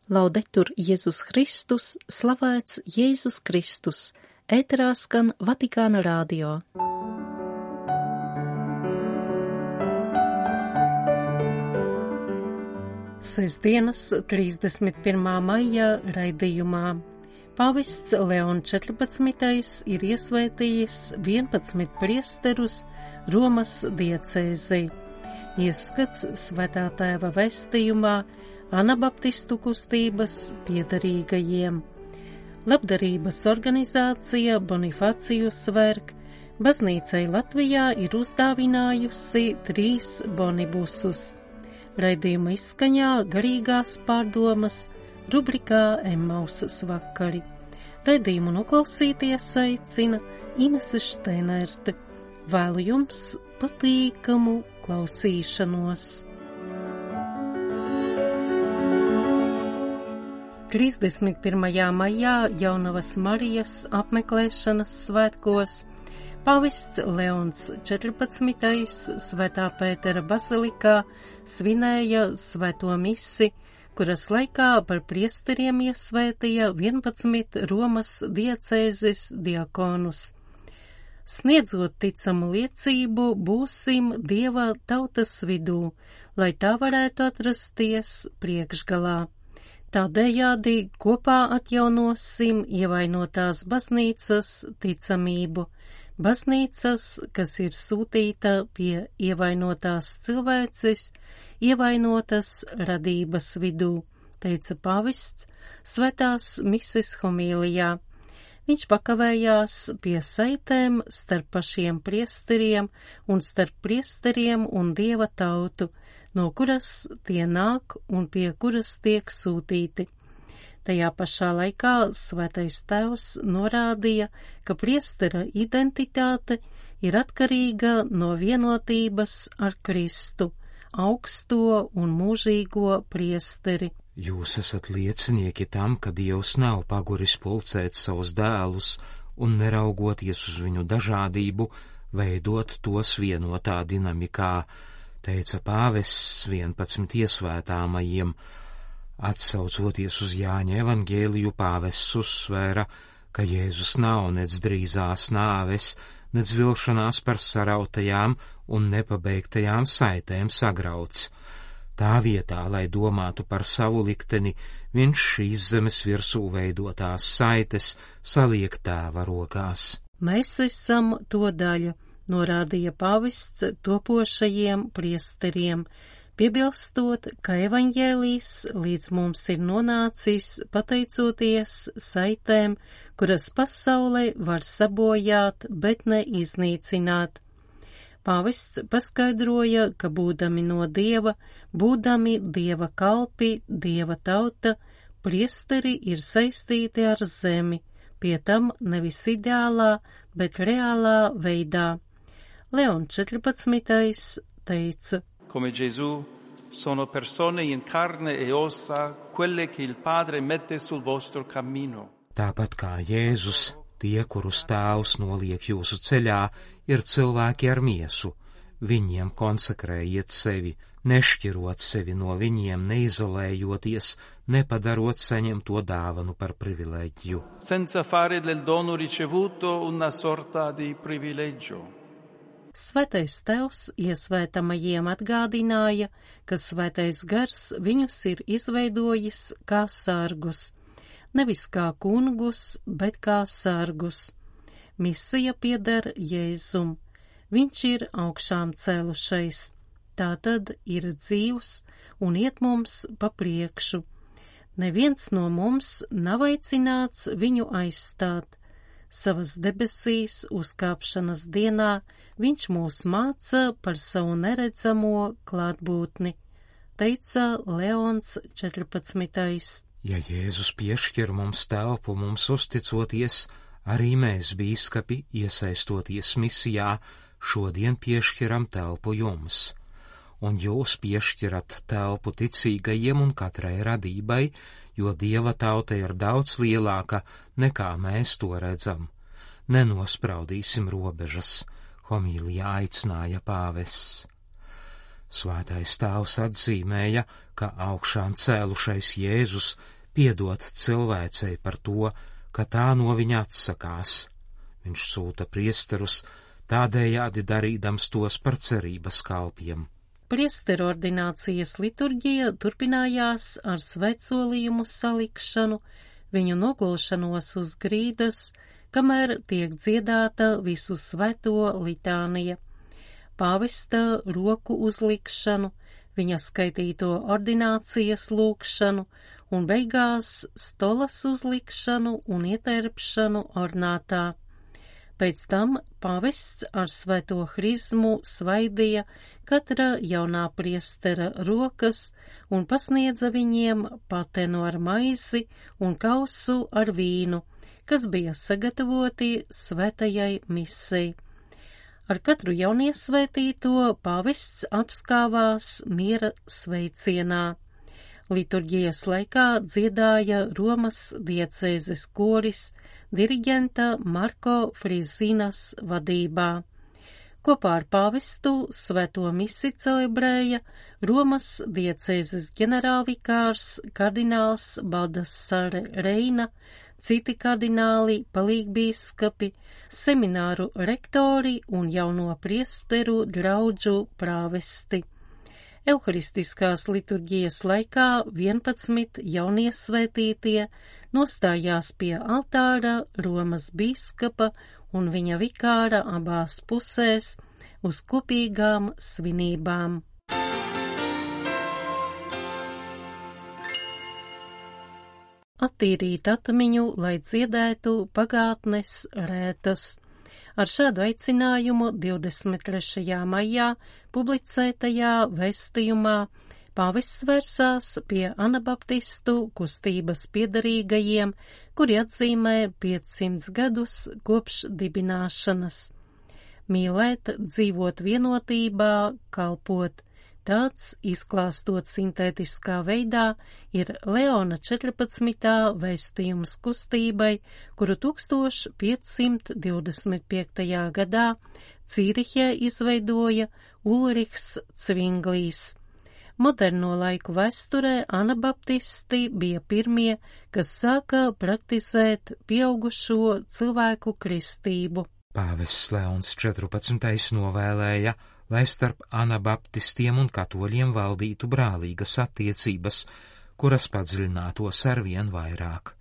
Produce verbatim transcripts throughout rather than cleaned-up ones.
Laudetur Jēzus Kristus, slavēts Jēzus Kristus, ēterā skan Vatikāna radio. Sestdienas trīsdesmit pirmā maija raidījumā Pāvests Leons četrpadsmitais ir iesvētījis vienpadsmit priesterus Romas diecēzei. Ieskats Svētā Tēva vēstījumā Anabaptistu kustības piederīgajiem. Labdarības organizācija Bonifacijus Verk baznīcai Latvijā ir uzdāvinājusi trīs bonibusus. Raidījuma izskaņā garīgās pārdomas rubrikā Emmausas vakari. Raidījumu noklausīties aicina Inese Šteinerte. Vēlu jums patīkamu klausīšanos. trīsdesmit pirmajā maijā Jaunavas Marijas apmeklēšanas svētkos Pāvests Leons četrpadsmitais Svētā Pētera bazilikā svinēja svēto misi, kuras laikā par priesteriem iesvētīja vienpadsmit Romas diecēzes diakonus. Sniedzot ticamu liecību, būsim Dieva tautas vidū, lai tā varētu atrasties priekšgalā. Tādējādi kopā atjaunosim ievainotās baznīcas ticamību, baznīcas, kas ir sūtīta pie ievainotās cilvēces, ievainotas radības vidū, teica pāvests svētās mises homīlijā. Viņš pakavējās pie saitēm starp pašiem priesteriem un starp priesteriem un Dieva tautu, no kuras tie nāk un pie kuras tiek sūtīti. Tajā pašā laikā Svētais Tēvs norādīja, ka priestera identitāte ir atkarīga no vienotības ar Kristu, augsto un mūžīgo priesteri. Jūs esat liecinieki tam, ka Dievs nav paguris pulcēt savus dēlus un neraugoties uz viņu dažādību, veidot tos vienotā dinamikā, teica pāvests vienpadsmit iesvētāmajiem. Atsaucoties uz Jāņa evangēliju, pāvests uzsvēra, ka Jēzus nav nec drīzās nāves, nec vilšanās par sarautajām un nepabeigtajām saitēm sagrauts. Tā vietā, lai domātu par savu likteni, viņš šīs zemes virsū veidotās saites saliek Tēva rokās. Mēs esam to daļa, norādīja pāvests topošajiem priesteriem, piebilstot, ka evaņģēlijs līdz mums ir nonācis pateicoties saitēm, kuras pasaulē var sabojāt, bet ne iznīcināt. Pāvests paskaidroja, ka būdami no Dieva, būdami Dieva kalpi, Dieva tauta, priesteri ir saistīti ar zemi, pie tam nevis ideālā, bet reālā veidā. Leons četrpadsmitais teica: Come Gesù sono persone in carne e ossa, quelle che il Padre mette sul vostro cammino. Tāpat kā Jēzus, tie, kurus Tēvs noliek jūsu ceļā, ir cilvēki ar miesu. Viņiem konsekrējiet sevi, nešķirot sevi no viņiem, neizolējoties, nepadarot saņemto dāvanu par privileģiju. Senza fare del dono ricevuto una sorta di privilegio. Svētais Tēvs iesvētamajiem atgādināja, ka Svētais Gars viņus ir izveidojis kā sargus, nevis kā kungus, bet kā sargus. Misija pieder Jēzum, viņš ir augšām cēlušais, tātad ir dzīvs un iet mums pa priekšu. Neviens no mums nav aicināts viņu aizstāt. Savas debesīs uzkāpšanas dienā viņš mūs māca par savu neredzamo klātbūtni, teica Leons četrpadsmitais. Ja Jēzus piešķir mums telpu mums uzticoties, arī mēs, bīskapi, iesaistoties misijā, šodien piešķiram telpu jums. Un jūs piešķirat telpu ticīgajiem un katrai radībai, jo Dieva tauta ir daudz lielāka nekā mēs to redzam. Nenospraudīsim robežas, homīlijā aicināja pāvests. Svētais Tēvs atzīmēja, ka augšām cēlušais Jēzus piedot cilvēcei par to, ka tā no viņa atsakās. Viņš sūta priesterus, tādējādi darīdams tos par cerības kalpiem. Priesteru ordinācijas liturģija turpinājās ar svētsolījumu salikšanu, viņu nogulšanos uz grīdas, kamēr tiek dziedāta visu svēto litānija, pāvesta roku uzlikšanu, viņa skaitīto ordinācijas lūkšanu un beigās stolas uzlikšanu un ieterpšanu ornātā. Pēc tam pāvests ar svēto hrizmu svaidīja katra jaunā priestera rokas un pasniedza viņiem patenu ar maizi un kausu ar vīnu, kas bija sagatavoti svētajai misei. Ar katru jauniesvētīto pāvests apskāvās miera sveicienā. Liturģijas laikā dziedāja Romas diecēzes koris diriģenta Marko Frizinas vadībā. Kopā ar pāvestu svēto misi celebrēja Romas diecēzes ģenerālvikārs kardināls Baldassare Reina, citi kardināli, palīgbīskapi, semināru rektori un jauno priesteru draudžu prāvesti. Euharistiskās liturģijas laikā vienpadsmit jauniesvētītie nostājās pie altāra Romas bīskapa un viņa vikāra abās pusēs uz kopīgām svinībām. Attīrīt atmiņu, lai dziedētu pagātnes rētas. Ar šādu aicinājumu divdesmit trešajā maijā publicētajā vēstījumā pāvests vērsās pie anabaptistu kustības piederīgajiem, kuri atzīmē piecsimt gadus kopš dibināšanas. Mīlēt, dzīvot vienotībā, kalpot. Tāds, izklāstot sintētiskā veidā, ir Leona četrpadsmitā vēstījums kustībai, kuru tūkstoš piecsimt divdesmit piektajā gadā Cīrihē izveidoja Ulrichs Cvinglīs. Moderno laiku vēsturē anabaptisti bija pirmie, kas sāka praktizēt pieaugušo cilvēku kristību. Pāvests Leons četrpadsmitais novēlēja, lai starp anabaptistiem un katoļiem valdītu brālīgas attiecības, kuras padziļinātos arvien vairāk.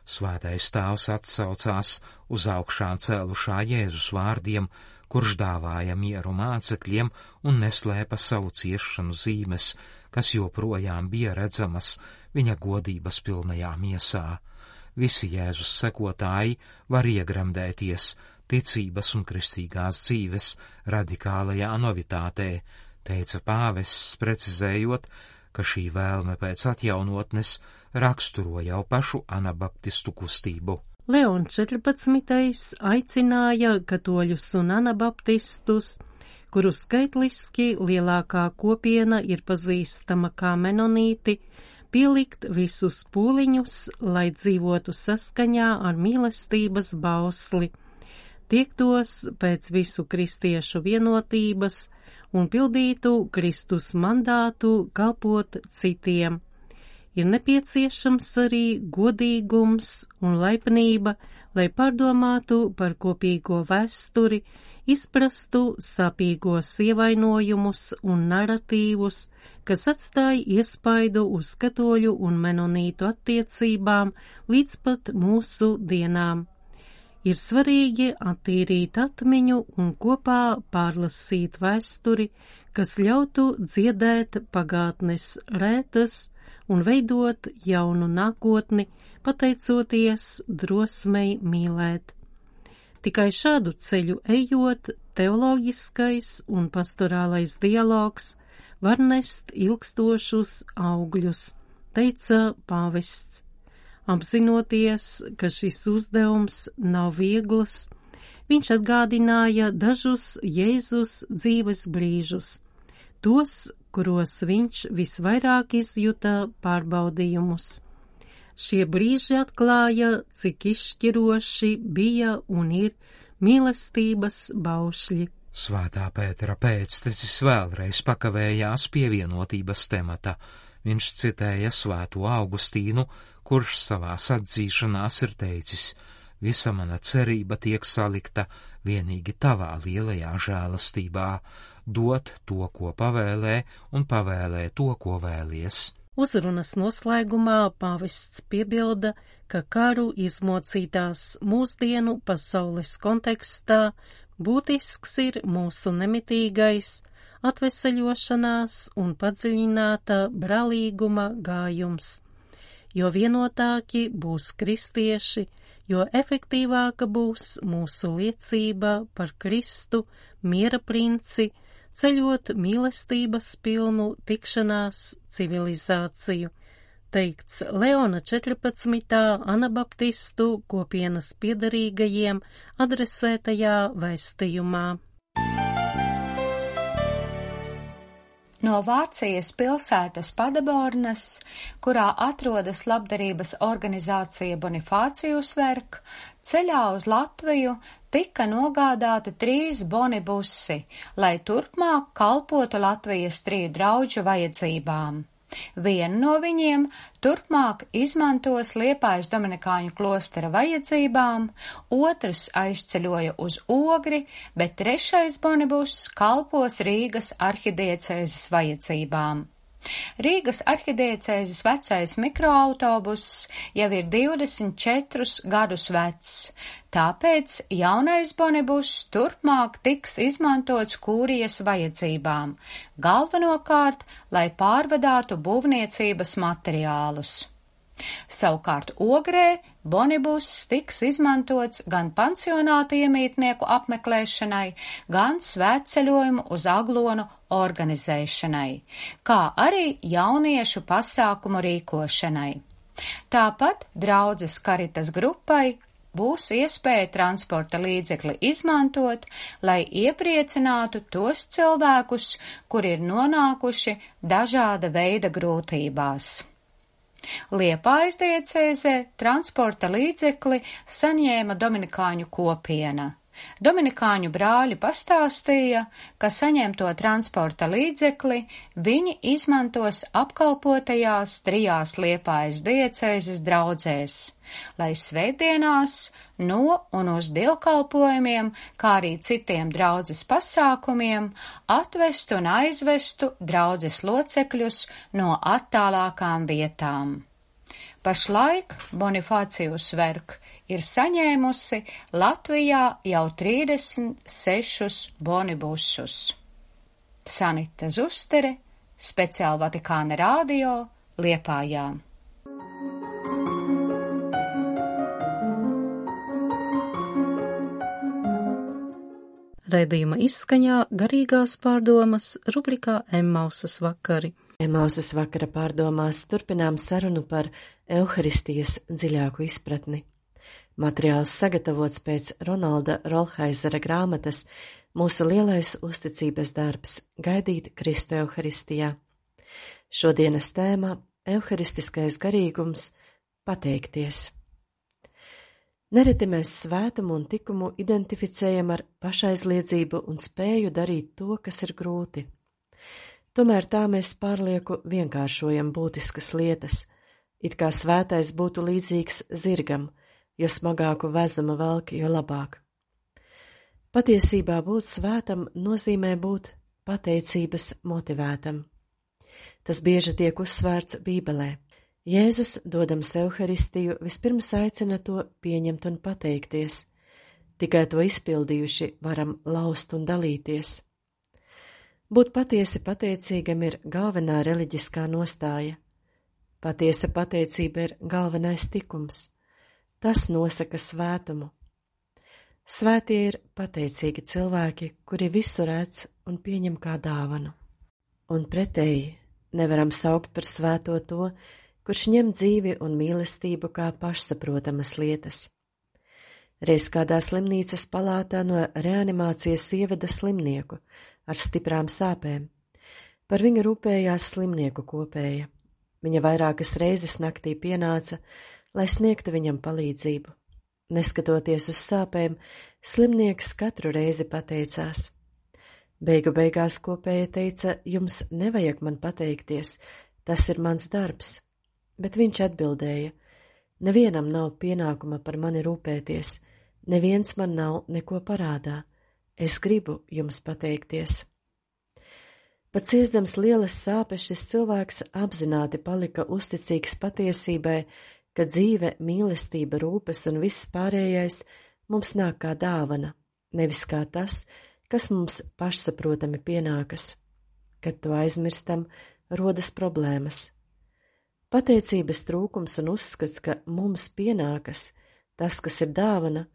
Svētais tēvs atsaucās uz augšām cēlušā Jēzus vārdiem, kurš dāvāja mieru mācekļiem un neslēpa savu ciešanu zīmes, kas joprojām bija redzamas viņa godības pilnajā miesā. Visi Jēzus sekotāji var iegremdēties ticības un kristīgās dzīves radikālajā novitātē, teica pāvests, precizējot, ka šī vēlme pēc atjaunotnes raksturo jau pašu anabaptistu kustību. Leons četrpadsmitais aicināja katoļus un anabaptistus, kuru skaitliski lielākā kopiena ir pazīstama kā menonīti, pielikt visus pūliņus, lai dzīvotu saskaņā ar mīlestības bausli, tiektos pēc visu kristiešu vienotības un pildītu Kristus mandātu kalpot citiem. Ir nepieciešams arī godīgums un laipnība, lai pārdomātu par kopīgo vēsturi, izprastu sāpīgos ievainojumus un naratīvus, kas atstāja iespaidu uz katoļu un menonītu attiecībām līdz pat mūsu dienām. Ir svarīgi attīrīt atmiņu un kopā pārlasīt vēsturi, kas ļautu dziedēt pagātnes rētas un veidot jaunu nākotni, pateicoties drosmei mīlēt. Tikai šādu ceļu ejot, teoloģiskais un pastorālais dialogs var nest ilgstošus augļus, teica pāvests. Apzinoties, ka šis uzdevums nav viegls, viņš atgādināja dažus Jēzus dzīves brīžus, tos, kuros viņš visvairāk izjuta pārbaudījumus. Šie brīži atklāja, cik izšķiroši bija un ir mīlestības baušļi. Svētā Pētera pēctecis vēlreiz pakavējās pie vienotības temata, Viņš citēja Svēto Augustīnu, kurš savās atzīšanās ir teicis: visa mana cerība tiek salikta vienīgi tavā lielajā žēlastībā, dot to, ko pavēlē, un pavēlē to, ko vēlies. Uzrunas noslēgumā pāvests piebilda, ka karu izmocītās mūsdienu pasaules kontekstā būtisks ir mūsu nemitīgais atveseļošanās un padziļināta brālīguma gājums. Jo vienotāki būs kristieši, jo efektīvāka būs mūsu liecība par Kristu, miera princi, ceļot mīlestības pilnu tikšanās civilizāciju, teikts Leona četrpadsmitā Anabaptistu kopienas piederīgajiem adresētajā vēstījumā. No Vācijas pilsētas Paderbornas, kurā atrodas labdarības organizācija Bonifācijus Werk, ceļā uz Latviju tika nogādāti trīs bonibusi, lai turpmāk kalpotu Latvijas triju drauģu vajadzībām. Vienu no viņiem turpmāk izmantos Liepājas Dominikāņu klostera vajadzībām, otrs aizceļoja uz Ogri, bet trešais bonibuss kalpos Rīgas arhidiecēzes vajadzībām. Rīgas arhidiecēzes vecais mikroautobuss jau ir divdesmit četrus gadus vecs, tāpēc jaunais bonibuss turpmāk tiks izmantots kūrijas vajadzībām, galvenokārt, lai pārvadātu būvniecības materiālus. Savukārt Ogrē bonibuss tiks izmantots gan pansionāta iemītnieku apmeklēšanai, gan svētceļojumu uz Aglonu organizēšanai, kā arī jauniešu pasākumu rīkošanai. Tāpat draudzes Karitas grupai būs iespēja transporta līdzekli izmantot, lai iepriecinātu tos cilvēkus, kuri ir nonākuši dažāda veida grūtībās. Liepājas diecēzē transporta līdzekli saņēma Dominikāņu kopiena. Dominikāņu brāļi pastāstīja, ka saņemto transporta līdzekli viņi izmantos apkalpotajās trijās Liepājas diecēzes draudzēs, lai svētdienās no un uz dievkalpojumiem, kā arī citiem draudzes pasākumiem, atvestu un aizvestu draudzes locekļus no attālākām vietām. Pašlaik Bonifācijus Werk ir saņēmusi Latvijā jau trīsdesmit sešus bonibusus. Sanita Zustere, speciāli Vatikāna radio, Liepājā. Raidījuma izskaņā garīgās pārdomas rubrikā Emmausas vakari. Emmausas vakara pārdomās turpinām sarunu par Euharistijas dziļāku izpratni. Materiāls sagatavots pēc Ronalda Rolhaizera grāmatas Mūsu lielais uzticības darbs – gaidīt Kristu Euharistijā. Šodienas tēma – Euharistiskais garīgums – pateikties. Nereti mēs svētumu un tikumu identificējam ar pašaizliedzību un spēju darīt to, kas ir grūti. Tomēr tā mēs pārlieku vienkāršojam būtiskas lietas, it kā svētais būtu līdzīgs zirgam, jo smagāku vezumu velk, jo labāk. Patiesībā būt svētam nozīmē būt pateicības motivētam. Tas bieži tiek uzsvērts Bībelē. Jēzus, dodams Euharistiju, vispirms aicina to pieņemt un pateikties. Tikai to izpildījuši varam laust un dalīties. Būt patiesi pateicīgam ir galvenā reliģiskā nostāja. Patiesa pateicība ir galvenais tikums. Tas nosaka svētumu. Svētie ir pateicīgi cilvēki, kuri visu redz un pieņem kā dāvanu. Un pretēji nevaram saukt par svēto to, kurš ņem dzīvi un mīlestību kā pašsaprotamas lietas. Reiz kādā slimnīcas palātā no reanimācijas ieveda slimnieku ar stiprām sāpēm. Par viņu rūpējās slimnieku kopēja. Viņa vairākas reizes naktī pienāca, lai sniegtu viņam palīdzību. Neskatoties uz sāpēm, slimnieks katru reizi pateicās. Beigu beigās kopēja teica, jums nevajag man pateikties, Tas ir mans darbs, bet viņš atbildēja: Nevienam nav pienākuma par mani rūpēties, neviens man nav neko parādā, es gribu jums pateikties. Pat ciesdams lielas sāpes, šis cilvēks apzināti palika uzticīgs patiesībai, ka dzīve, mīlestība, rūpes un viss pārējais mums nāk kā dāvana, nevis kā tas, kas mums pašsaprotami pienākas. Kad to aizmirstam, rodas problēmas. Pateicības trūkums un uzskats, ka mums pienākas tas, kas ir dāvana,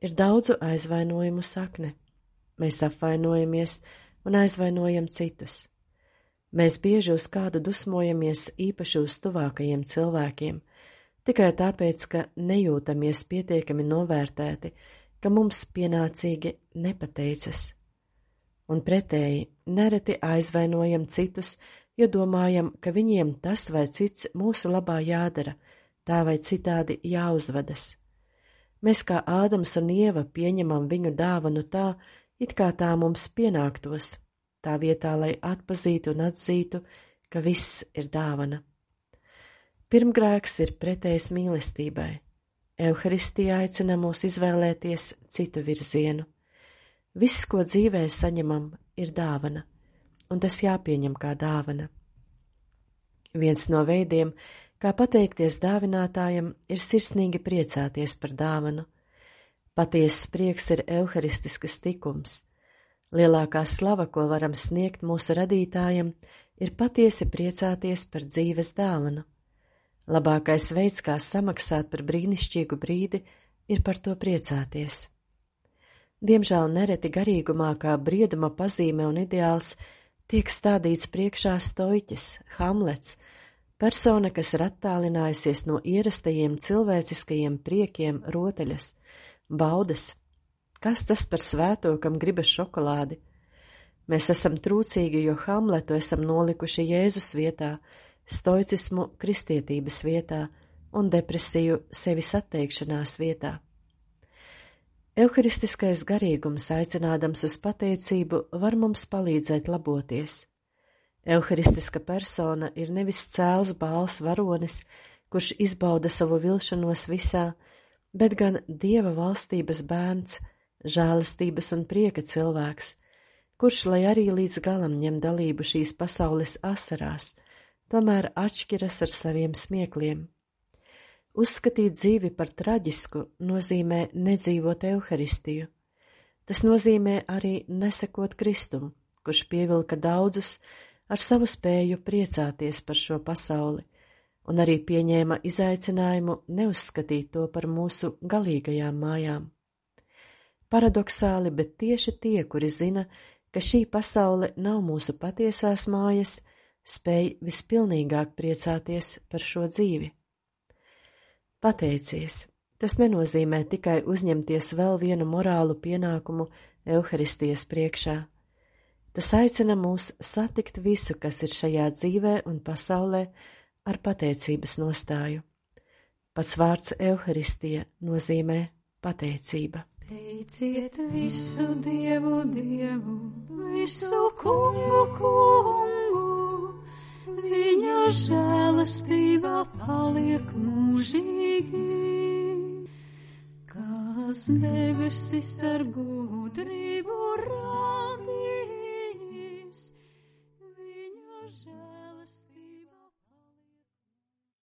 ir daudzu aizvainojumu sakne. Mēs apvainojamies un aizvainojam citus. Mēs bieži uz kādu dusmojamies, īpaši uz tuvākajiem cilvēkiem, tikai tāpēc, ka nejūtamies pietiekami novērtēti, ka mums pienācīgi nepateicas. Un pretēji, nereti aizvainojam citus, jo domājam, ka viņiem tas vai cits mūsu labā jādara, tā vai citādi jāuzvedas. Mēs kā Ādams un Ieva pieņemam viņu dāvanu tā, it kā tā mums pienāktos, tā vietā, lai atpazītu un atzītu, ka viss ir dāvana. Pirmgrēks ir pretējs mīlestībai. Euharistija aicina mūs izvēlēties citu virzienu. Viss, ko dzīvē saņemam, ir dāvana, un tas jāpieņem kā dāvana. Viens no veidiem, kā pateikties dāvinātājam, ir sirsnīgi priecāties par dāvanu. Patiesas prieks ir euharistiskas tikums. Lielākā slava, ko varam sniegt mūsu radītājam, ir patiesi priecāties par dzīves dāvanu. Labākais veids, kā samaksāt par brīnišķīgu brīdi, ir par to priecāties. Diemžēl nereti garīgumā kā brieduma pazīme un ideāls tiek stādīts priekšā stoiķis, Hamlets, persona, kas ir attālinājusies no ierastajiem cilvēciskajiem priekiem, rotaļas, baudas. Kas tas par svēto, kam gribas šokolādi? Mēs esam trūcīgi, jo Hamletu esam nolikuši Jēzus vietā, stoicismu kristietības vietā un depresiju sevis atteikšanās vietā. Euharistiskais garīgums, aicinādams uz pateicību, var mums palīdzēt laboties. Euharistiska persona ir nevis cēls bāls varonis, kurš izbauda savu vilšanos visā, bet gan Dieva valstības bērns, žēlastības un prieka cilvēks, kurš, lai arī līdz galam ņem dalību šīs pasaules asarās, tomēr atšķiras ar saviem smiekliem. Uzskatīt dzīvi par traģisku nozīmē nedzīvot Euharistiju. Tas nozīmē arī nesekot Kristum, kurš pievilka daudzus ar savu spēju priecāties par šo pasauli, un arī pieņēma izaicinājumu neuzskatīt to par mūsu galīgajām mājām. Paradoksāli, bet tieši tie, kuri zina, ka šī pasaule nav mūsu patiesās mājas, spēj vispilnīgāk priecāties par šo dzīvi. Pateicies, tas nenozīmē tikai uzņemties vēl vienu morālu pienākumu Euharistijas priekšā. Tas aicina mūs satikt visu, kas ir šajā dzīvē un pasaulē, ar pateicības nostāju. Pats vārds Euharistija nozīmē pateicība. Teiciet visu Dievu, Dievu, visu kungu, kungu. Viņa žēlastība paliek mūžīgi, kas debesis ar gudrību rāda.